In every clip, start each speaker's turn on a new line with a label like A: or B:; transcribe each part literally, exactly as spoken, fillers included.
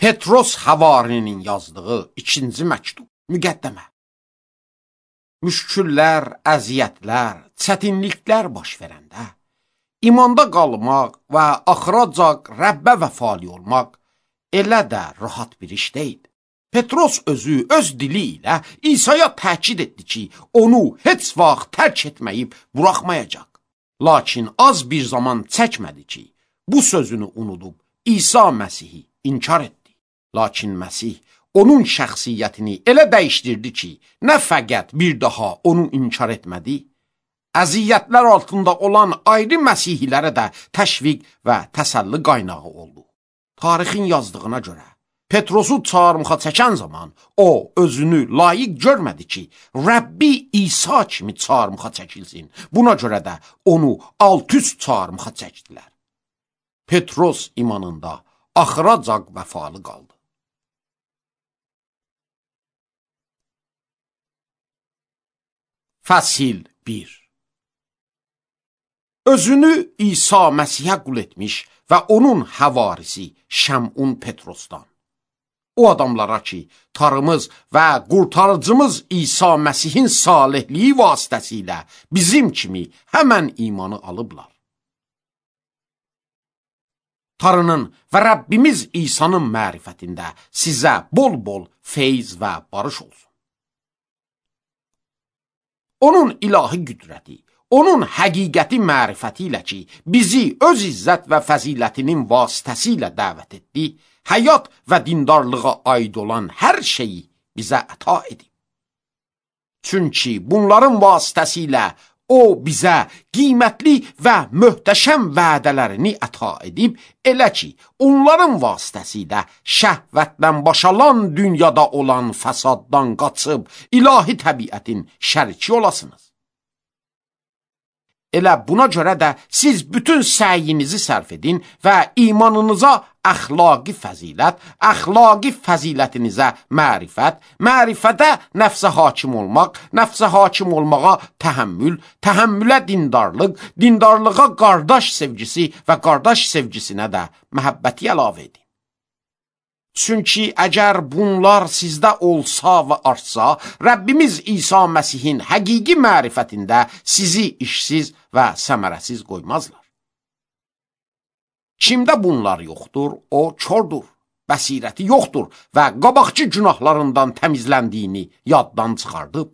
A: Petros Havarinin yazdığı ikinci məktub, müqəddəmə. Müşküllər, əziyyətlər, çətinliklər baş verəndə, imanda qalmaq və axıracaq Rəbbə vəfali olmaq elə də rahat bir iş deyil. Petros özü öz dili ilə İsa'ya təkid etdi ki, onu heç vaxt tərk etməyib buraxmayacaq. Lakin az bir zaman çəkmədi ki, bu sözünü unudub İsa Məsihi inkar etdi. Lakin Məsih onun şəxsiyyətini elə dəyişdirdi ki, nə fəqət bir daha onu inkar etmədi, əziyyətlər altında olan ayrı Məsihilərə də təşviq və təsəlli qaynağı oldu. Tarixin yazdığına görə, Petrosu çarmıxa çəkən zaman o özünü layiq görmədi ki, Rəbbi İsa kimi çarmıxa çəkilsin. Buna görə də onu alt-üst çarmıxa çəkdilər. Petros imanında axıracaq vəfalı qaldı. Fəsil bir. Özünü İsa Məsihə qul etmiş və onun həvarisi Şəmun Petrosdan. O adamlara ki, Tanrımız və qurtarıcımız İsa Məsihin salihliyi vasitəsilə bizim kimi həmən imanı alıblar. Tanrının və Rəbbimiz İsa'nın mərifətində sizə bol-bol feyz və barış olsun. Onun ilahi qüdrəti, onun həqiqəti mərifəti ilə ki, bizi öz izzət və fəzilətinin vasitəsilə dəvət etdi, həyat və dindarlığa aid olan hər şeyi bizə əta edib. Çünki bunların vasitəsilə o bizə qiymətli və möhtəşəm vədələrini əta edib, elə ki, onların vasitəsilə şəhvətdən başalan dünyada olan fəsaddan qaçıb, ilahi təbiətin şəriki olasınız. Elə buna görə də siz bütün səyinizi sərf edin və imanınıza əxlaqi fəzilət, əxlaqi fəzilətinizə mərifət, mərifətə nəfsə hakim olmaq, nəfsə hakim olmağa təhəmmül, təhəmmülə dindarlıq, dindarlığa qardaş sevgisi və qardaş sevgisinə də məhəbbəti əlavə edin. Çünki əgər bunlar sizdə olsa və artsa, Rəbbimiz İsa Məsihin həqiqi mərifətində sizi işsiz və səmərəsiz qoymazlar. Kimdə bunlar yoxdur, o kordur, bəsirəti yoxdur və qabaqçı günahlarından təmizləndiyini yaddan çıxardıb.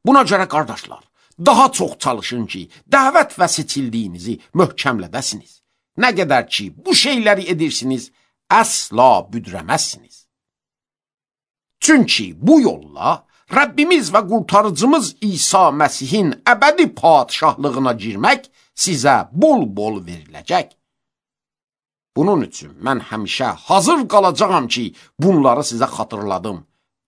A: Buna görə qardaşlar, daha çox çalışın ki, dəvət və seçildiyinizi möhkəmlədəsiniz. Nə qədər ki, bu şeyləri edirsiniz, əsla büdrəməzsiniz. Çünki bu yolla Rəbbimiz və qurtarıcımız İsa Məsihin əbədi padişahlığına girmək sizə bol-bol veriləcək. Bunun üçün mən həmişə hazır qalacağam ki, bunları sizə xatırladım.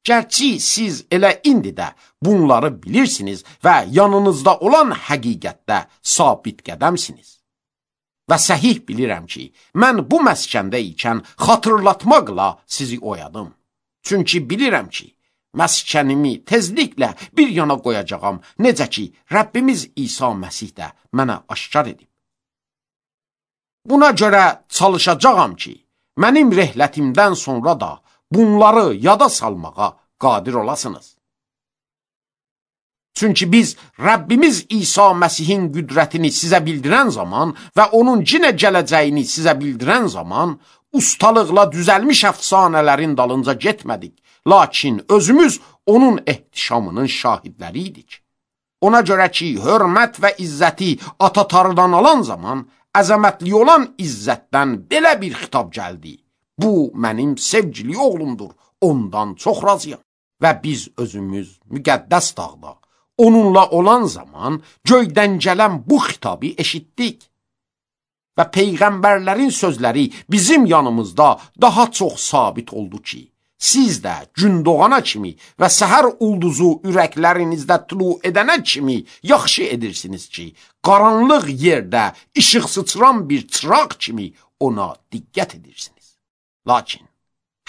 A: Gərçi siz elə indi də bunları bilirsiniz və yanınızda olan həqiqətdə sabit qədəmsiniz. Və səhih bilirəm ki, mən bu məskəndə ikən xatırlatmaqla sizi oyadım. Çünki bilirəm ki, məskənimi tezliklə bir yana qoyacağam, necə ki, Rəbbimiz İsa Məsih də mənə aşkar edib. Buna görə çalışacağam ki, mənim rehlətimdən sonra da bunları yada salmağa qadir olasınız. Çünki biz Rəbbimiz İsa Məsihin qüdrətini sizə bildirən zaman və onun cinə gələcəyini sizə bildirən zaman ustalıqla düzəlmiş əfsanələrin dalınca getmədik. Lakin özümüz onun ehtişamının şahidləri idik. Ona görə ki, hörmət və izzəti ata-tarıdan alan zaman əzəmətli olan izzətdən belə bir xitab gəldi. Bu, mənim sevgili oğlumdur, ondan çox razıyam. Və biz özümüz müqəddəs dağda onunla olan zaman göydən gələn bu xitabı eşitdik. Və peyğəmbərlərin sözləri bizim yanımızda daha çox sabit oldu ki, siz də gün doğana kimi və səhər ulduzu ürəklərinizdə tulu edənə kimi yaxşı edirsiniz ki, qaranlıq yerdə işıq sıçran bir çıraq kimi ona diqqət edirsiniz. Lakin,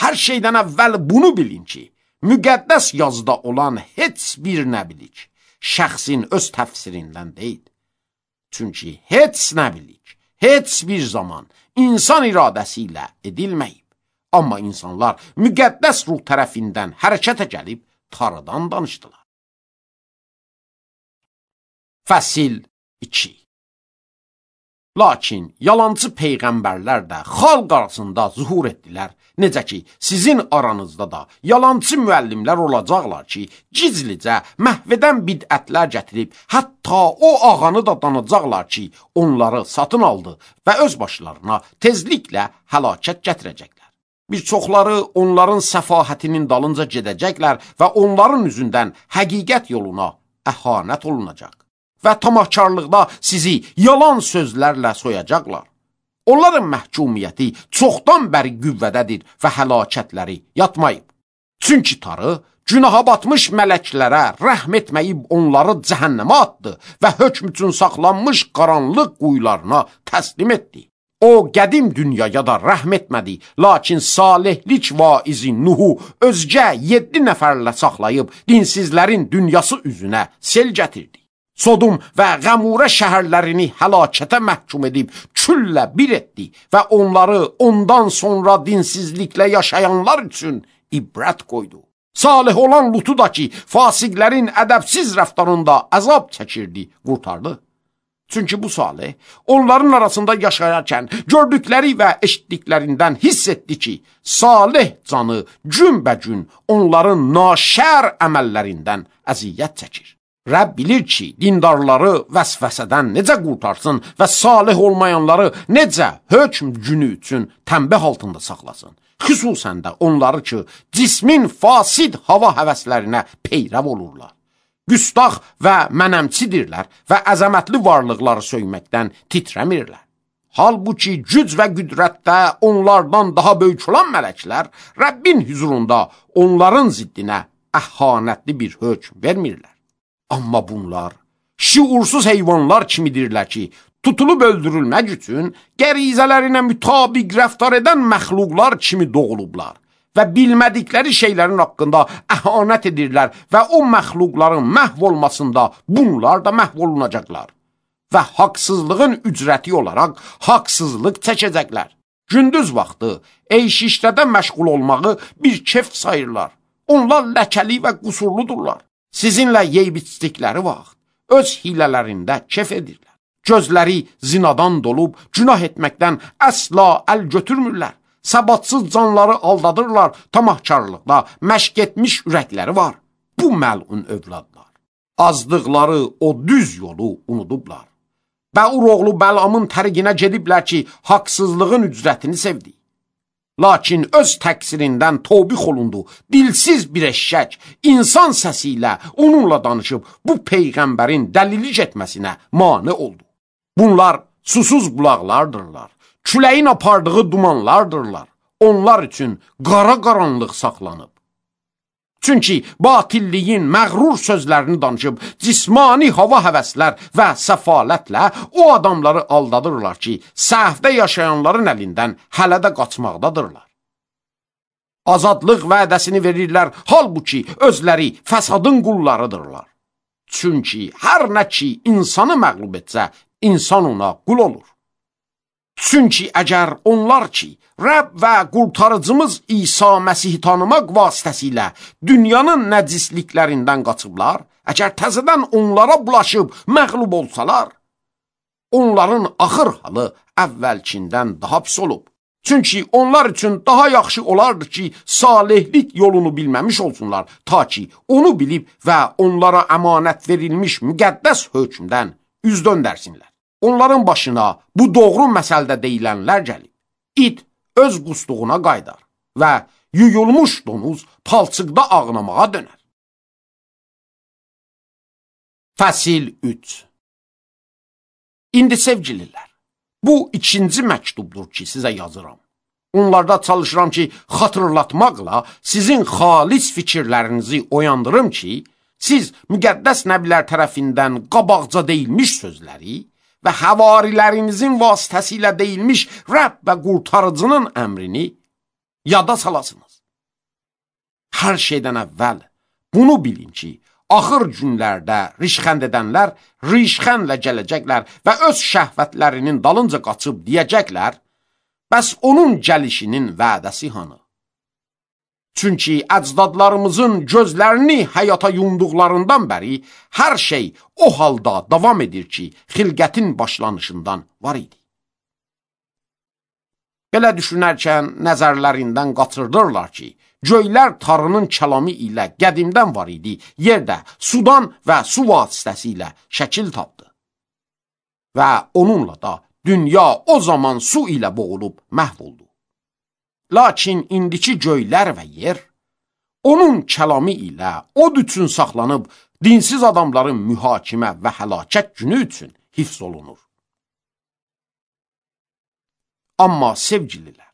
A: hər şeydən əvvəl bunu bilin ki, müqəddəs yazıda olan heç bir nəbilik şəxsin öz təfsirindən deyil. Çünki heç nəbilik, heç bir zaman insan iradəsi ilə edilməyib. Amma insanlar müqəddəs ruh tərəfindən hərəkətə gəlib Tanrıdan danışdılar. Fəsil iki. Lakin yalancı peyğəmbərlər də xalq arasında zuhur etdilər. Necə ki, sizin aranızda da yalancı müəllimlər olacaqlar ki, gizlicə məhvədən bidətlər gətirib, hətta o ağanı da danacaqlar ki, onları satın aldı və öz başlarına tezliklə həlakət gətirəcəklər. Bir çoxları onların səfahətinin dalınca gedəcəklər və onların üzündən həqiqət yoluna əhanət olunacaq. Və tamahkarlıqda sizi yalan sözlərlə soyacaqlar. Onların məhkumiyyəti çoxdan bəri qüvvədədir və həlakətləri yatmayıb. Çünki Tanrı günaha batmış mələklərə rəhm etməyib onları cəhənnəmə atdı və hökm üçün saxlanmış qaranlıq quyularına təslim etdi. O, qədim dünyaya da rəhm etmədi, lakin salihlik vaizi Nuhu özgə yeddi nəfərlə saxlayıb dinsizlərin dünyası üzünə sel gətirdi. Sodom və Qəmurə şəhərlərini həlakətə məhkum edib küllə bir etdi və onları ondan sonra dinsizliklə yaşayanlar üçün ibrət qoydu. Salih olan Lutu da ki, fasiqlərin ədəbsiz rəftarında əzab çəkirdi, qurtardı. Çünki bu Salih onların arasında yaşayarkən gördükləri və eşitdiklərindən hiss etdi ki, Salih canı günbəgün onların naşər əməllərindən əziyyət çəkir. Rəbb bilir ki, dindarları vəsvəsədən necə qurtarsın və salih olmayanları necə hökm günü üçün tənbih altında saxlasın. Xüsusən də onları ki, cismin fasid hava həvəslərinə peyrəv olurlar. Güstaq və mənəmçidirlər və əzəmətli varlıqları söyməkdən titrəmirlər. Halbuki güc və qüdrətdə onlardan daha böyük olan mələklər Rəbbin hüzurunda onların ziddinə əhanətli bir hökm vermirlər. Amma bunlar şiursuz heyvanlar kimidirlər ki, tutulub öldürülmək üçün qərizələrinə mütabiq rəftar edən məxluqlar kimi doğulublar və bilmədikləri şeylərin haqqında əhanət edirlər və o məxluqların məhv olmasında bunlar da məhv olunacaqlar və haqsızlığın ücrəti olaraq haqsızlıq çəkəcəklər. Gündüz vaxtı eyş-işlədə məşğul olmağı bir kef sayırlar. Onlar ləkəli və qusurludurlar. Sizinlə yeyib içdikləri vaxt öz hilələrində kef edirlər. Gözləri zinadan dolub, günah etməkdən əsla əl götürmürlər. Səbatsız canları aldadırlar, tamahkarlıqda məşq etmiş ürəkləri var. Bu məlun övladlar. Azdıqları o düz yolu unudublar. Bəur oğlu Bəlamın təriqinə gediblər ki, haqsızlığın ücrətini sevdi. Lakin öz təqsirindən tövbih olundu. Dilsiz bir eşşək insan səsi ilə onunla danışıb bu peyğəmbərin dəlilik etməsinə mane oldu. Bunlar susuz bulaqlardırlar. Küləyin apardığı dumanlardırlar. Onlar üçün qara qaranlıq saxlanıb. Çünki batilliyin məğrur sözlərini danışıb cismani hava həvəslər və səfalətlə o adamları aldadırlar ki, səhvdə yaşayanların əlindən hələ də qaçmaqdadırlar. Azadlıq vədəsini verirlər, halbuki özləri fəsadın qullarıdırlar. Çünki hər nə ki insanı məğlub etsə, insan ona qul olur. Çünki əgər onlar ki, Rəbb və qurtarıcımız İsa Məsihi tanımaq vasitəsilə dünyanın nəcisliklərindən qaçıblar, əgər təzədən onlara bulaşıb məğlub olsalar, onların axır halı əvvəlkindən daha pis olub. Çünki onlar üçün daha yaxşı olardı ki, salihlik yolunu bilməmiş olsunlar, ta ki onu bilib və onlara əmanət verilmiş müqəddəs hökmdən üz döndərsinlər. Onların başına bu doğru məsəldə deyilənlər gəlib. İt öz qusduğuna qaydar və yuyulmuş donuz palçıqda ağnamağa dönər. Fəsil üç. İndi sevgililər, bu ikinci məktubdur ki, sizə yazıram. Onlarda çalışıram ki, xatırlatmaqla sizin xalis fikirlərinizi oyandırım ki, siz müqəddəs nəbilər tərəfindən qabaqca deyilmiş sözləri və həvarilərinizin vasitəsilə deyilmiş Rəbb və qurtarıcının əmrini yada salasınız. Hər şeydən əvvəl bunu bilin ki, axır günlərdə rişxənd edənlər rişxəndlə gələcəklər və öz şəhvətlərinin dalınca qaçıb deyəcəklər, Bəs onun gəlişinin vədəsi hanı? Çünki əcdadlarımızın gözlərini həyata yumduqlarından bəri hər şey o halda davam edir ki, xilqətin başlanışından var idi. Belə düşünərkən nəzərlərindən qaçırdırlar ki, göylər Tanrının kəlamı ilə qədimdən var idi, yerdə sudan və su vasitəsilə şəkil tapdı. Və onunla da dünya o zaman su ilə boğulub məhv oldu. Lakin indiki göylər və yer, onun kəlamı ilə od üçün saxlanıb, dinsiz adamların mühakimə və həlakət günü üçün hifz olunur. Amma sevgililər,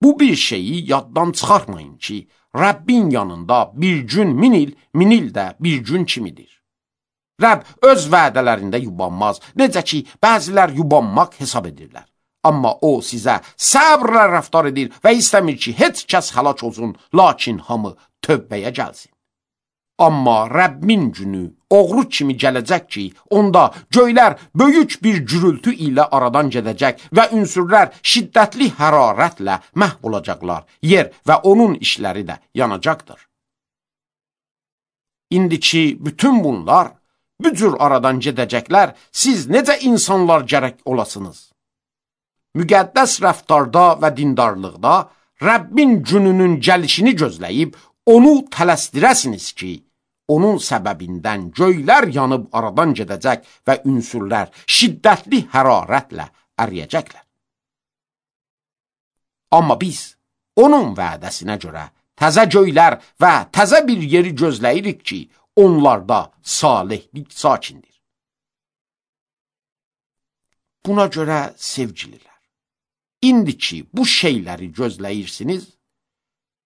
A: bu bir şeyi yaddan çıxarmayın ki, Rəbbin yanında bir gün min il, min il də bir gün kimidir. Rəbb öz vədələrində yubanmaz, necə ki, bəzilər yubanmaq hesab edirlər. Amma o sizə səbrlə rəftar edir və istəmir ki, heç kəs həlak olsun, lakin hamı tövbəyə gəlsin. Amma Rəbbin günü oğru kimi gələcək ki, onda göylər böyük bir gürültü ilə aradan gedəcək və ünsürlər şiddətli hərarətlə məhv olacaqlar. Yer və onun işləri də yanacaqdır. İndiki bütün bunlar, bu cür aradan gedəcəklər, siz necə insanlar gərək olasınız? Müqəddəs rəftarda və dindarlıqda Rəbbin gününün gəlişini gözləyib, onu tələsdirəsiniz ki, onun səbəbindən göylər yanıb aradan gedəcək və ünsürlər şiddətli hərarətlə əriyəcəklər. Amma biz onun vədəsinə görə təzə göylər və təzə bir yeri gözləyirik ki, onlarda salihlik sakindir. Buna görə sevgililər, İndi ki, bu şeyləri gözləyirsiniz,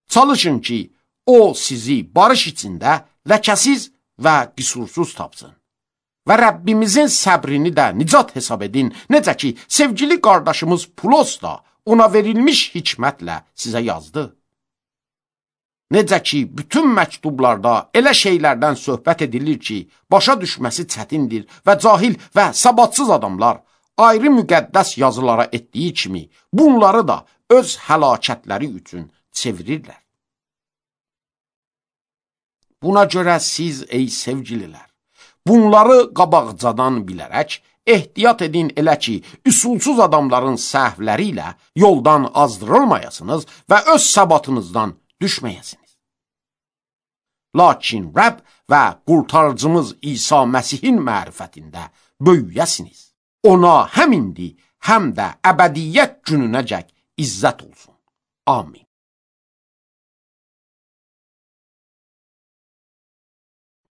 A: çalışın ki, o sizi barış içində ləkəsiz və qüsursuz tapsın. Və Rəbbimizin səbrini də nicat hesab edin, necə ki, sevgili qardaşımız Pulos da ona verilmiş hikmətlə sizə yazdı. Necə ki, bütün məktublarda elə şeylərdən söhbət edilir ki, başa düşməsi çətindir və cahil və səbatsız adamlar ayrı müqəddəs yazılara etdiyi kimi, bunları da öz həlakətləri üçün çevirirlər. Buna görə siz, ey sevgililər, bunları qabaqcadan bilərək, ehtiyat edin elə ki, üsulsuz adamların səhvləri ilə yoldan azdırılmayasınız və öz səbatınızdan düşməyəsiniz. Lakin Rəbb və qurtarıcımız İsa Məsihin mərifətində böyüyəsiniz. Ona həm indi, həm də əbədiyyət gününəcək izzət olsun. Amin.